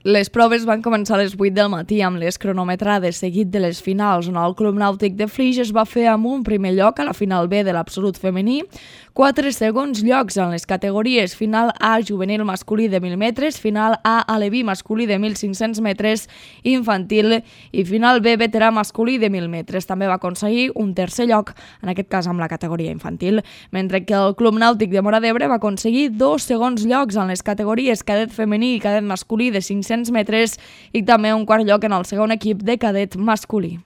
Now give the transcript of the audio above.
Les proves van començar a les 8 del matí amb les cronometrades seguit de les finals, on el Club Nàutic de Flix es va fer amb un primer lloc a la final B de l'absolut femení, 4 segons llocs en les categories final A juvenil masculí de 1.000 metres, final A aleví masculí de 1.500 metres infantil i final B veterà masculí de 1.000 metres. També va aconseguir un tercer lloc, en aquest cas amb la categoria infantil, mentre que el Club Nàutic de Móra d'Ebre va aconseguir 2 segons llocs en les categories cadet femení i cadet masculí de 500 metres i també un quart lloc en el segon equip de cadet masculí.